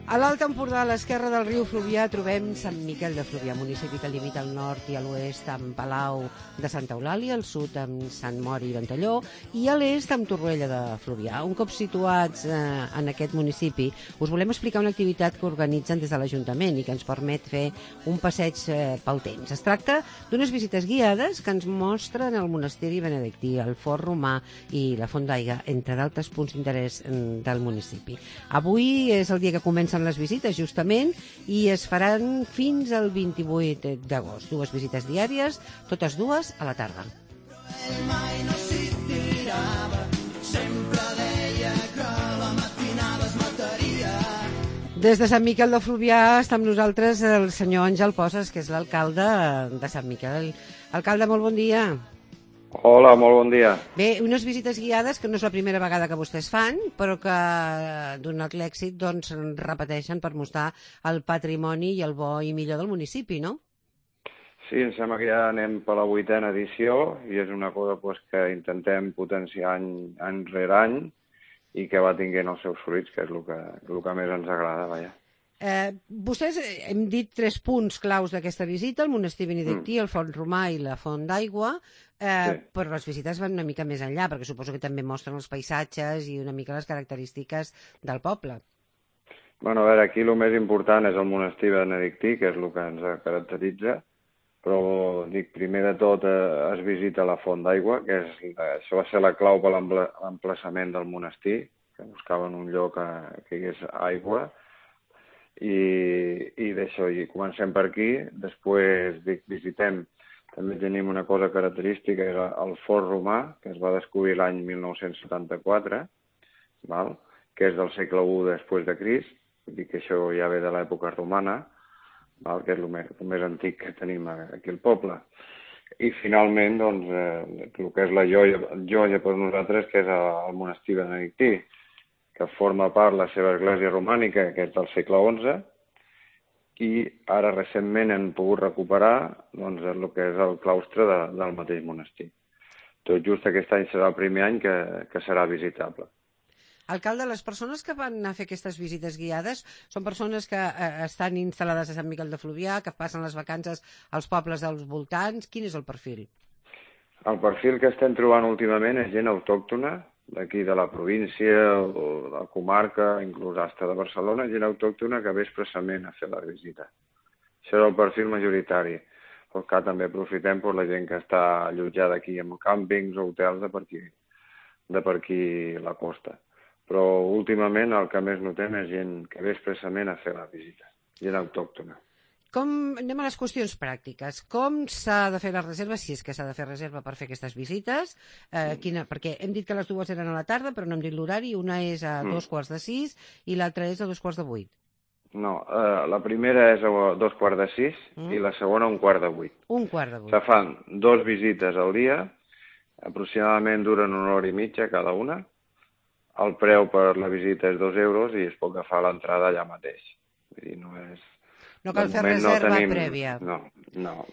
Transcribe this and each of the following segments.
A l'Alt Empordà, a l'esquerra del riu Fluvià, trobem Sant Miquel de Fluvià, municipi que limita al nord i a l'oest amb Palau de Santa Eulàlia, al sud amb Sant Mori i Ventalló i a l'est amb Torroella de Fluvià. Un cop situats en aquest municipi, us volem explicar una activitat que organitzen des de l'Ajuntament i que ens permet fer un passeig pel temps. Es tracta d'unes visites guiades que ens mostren el monasteri benedictí, el fort romà i la font d'aigua, entre d'altres punts d'interès del municipi. Avui és el dia que comencen les visites, justament, i es faran fins al 28 d'agost. 2 visites diàries, totes dues a la tarda. Ell mai no s'hi tirava, sempre deia que la matinada es mataria. Des de Sant Miquel de Fluvià està amb nosaltres el senyor Àngel Posas, que és l'alcalde de Sant Miquel. Alcalde, molt bon dia. Hola, molt bon dia. Bé, unes visites guiades que no és la primera vegada que vostès fan, però que, donat l'èxit, doncs repeteixen per mostrar el patrimoni i el bo i millor del municipi, no? Sí, em sembla que ja anem per la 8a edició i és una cosa que intentem potenciar any rere any i que va tinguent els seus fruits, que és el que més ens agrada, vaja. Vostès hem dit 3 punts claus d'aquesta visita, el monestir benedictí, el font romà i la font d'aigua, Sí. però les visites van una mica més enllà, perquè suposo que també mostren els paisatges i una mica les característiques del poble. Bueno, a veure, aquí el més important és el monestir benedictí, que és el que ens caracteritza, però dic, primer de tot es visita la font d'aigua, que això va ser la clau per l'emplaçament del monestir, que buscaven un lloc que hi hagués aigua, i d'això, i comencem per aquí, després visitem, també tenim una cosa característica, és el fort romà, que es va descobrir l'any 1974, val? Que és del segle I després de Crist, vull dir que això ja ve de l'època romana, val? Que és el més antic que tenim aquí al poble. I finalment, doncs, el que és la joia per nosaltres, que és el monestir benedictí, que forma part de la seva església romànica, que és del segle XI, i ara recentment hem pogut recuperar doncs, el que és el claustre del mateix monestir. Tot just aquest any serà el primer any que serà visitable. Alcalde, les persones que van a fer aquestes visites guiades són persones que estan instal·lades a Sant Miquel de Fluvià, que passen les vacances als pobles dels voltants. Quin és el perfil? El perfil que estem trobant últimament és gent autòctona, d'aquí de la província o de la comarca, inclús hasta de Barcelona, gent autòctona que ve expressament a fer la visita. Això és el perfil majoritari. Però que també aprofitem per la gent que està allotjada aquí en càmpings o hotels de per aquí la costa. Però últimament el que més notem és gent que ve expressament a fer la visita, gent autòctona. Anem a les qüestions pràctiques. Com s'ha de fer la reserva, si és que s'ha de fer reserva per fer aquestes visites? Perquè hem dit que les dues eren a la tarda, però no hem dit l'horari. Una és a 5:45 i l'altra és a 7:45. No, la primera és a 7:45 i la segona a 7:15. 7:15. Se fan 2 visites al dia, aproximadament duren 1 hora i mitja cada una. El preu per la visita és 2 euros i es pot agafar l'entrada allà mateix. Vull dir, no cal fer reserva prèvia. No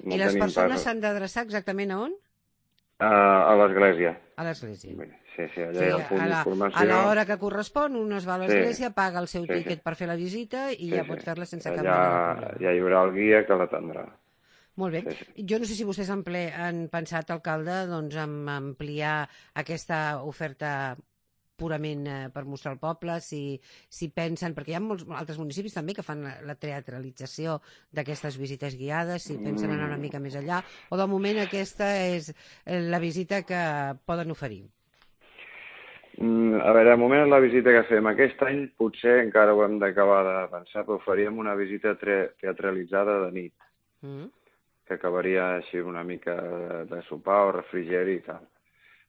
I les persones s'han d'adreçar exactament a on? A l'església. A l'església. Sí, allà hi ha el punt d'informació. A l'hora que correspon, un es va a l'església, paga el seu tiquet per fer la visita i ja pot fer-la sense cap mena de problema. Ja hi haurà el guia que l'atendrà. Molt bé. Jo no sé si vostès han pensat, alcalde, doncs, en ampliar aquesta oferta purament per mostrar el poble, si pensen, perquè hi ha molts altres municipis també que fan la teatralització d'aquestes visites guiades, si pensen anar una mica més enllà, o de moment aquesta és la visita que poden oferir. A veure, de moment la visita que fem aquest any potser encara ho hem d'acabar de pensar, però faríem una visita teatralitzada de nit, que acabaria així una mica de sopar o refrigeri i tal.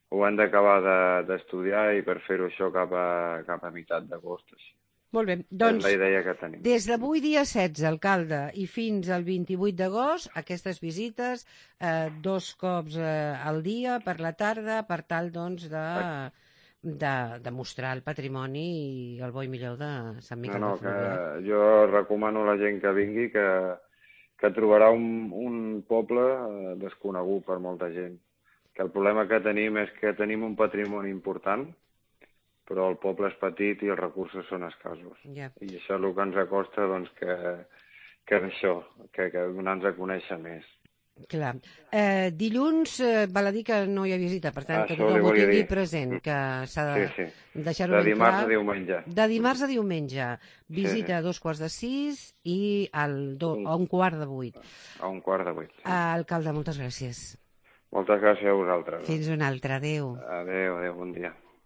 Ho hem d'acabar d'estudiar i per fer-ho això cap a meitat d'agost. Molt bé, doncs, és la idea que tenim. Des d'avui dia 16, alcalde, i fins al 28 d'agost, aquestes visites 2 cops al dia, per la tarda, per tal, doncs, de mostrar el patrimoni i el bo i millor de Sant Miquel de Fluvià. Jo recomano a la gent que vingui que trobarà un poble desconegut per molta gent. Que el problema que tenim és que tenim un patrimoni important però el poble és petit i els recursos són escassos. Ja. I això és el que ens acosta, doncs, que és això, que donar-nos a conèixer més. Clar. Dilluns val a dir que no hi ha visita, per tant, que Això li tothom ho volia tingui dir. present, que s'ha de Sí. deixar-ho De ben dimarts clar. a diumenge. De dimarts a diumenge. Visita Sí. a 2:45 i a 7:15. A 7:15. Sí. Alcalde, moltes gràcies. Moltes gràcies a vosaltres. Fins una altra. Adéu. Adéu, bon dia.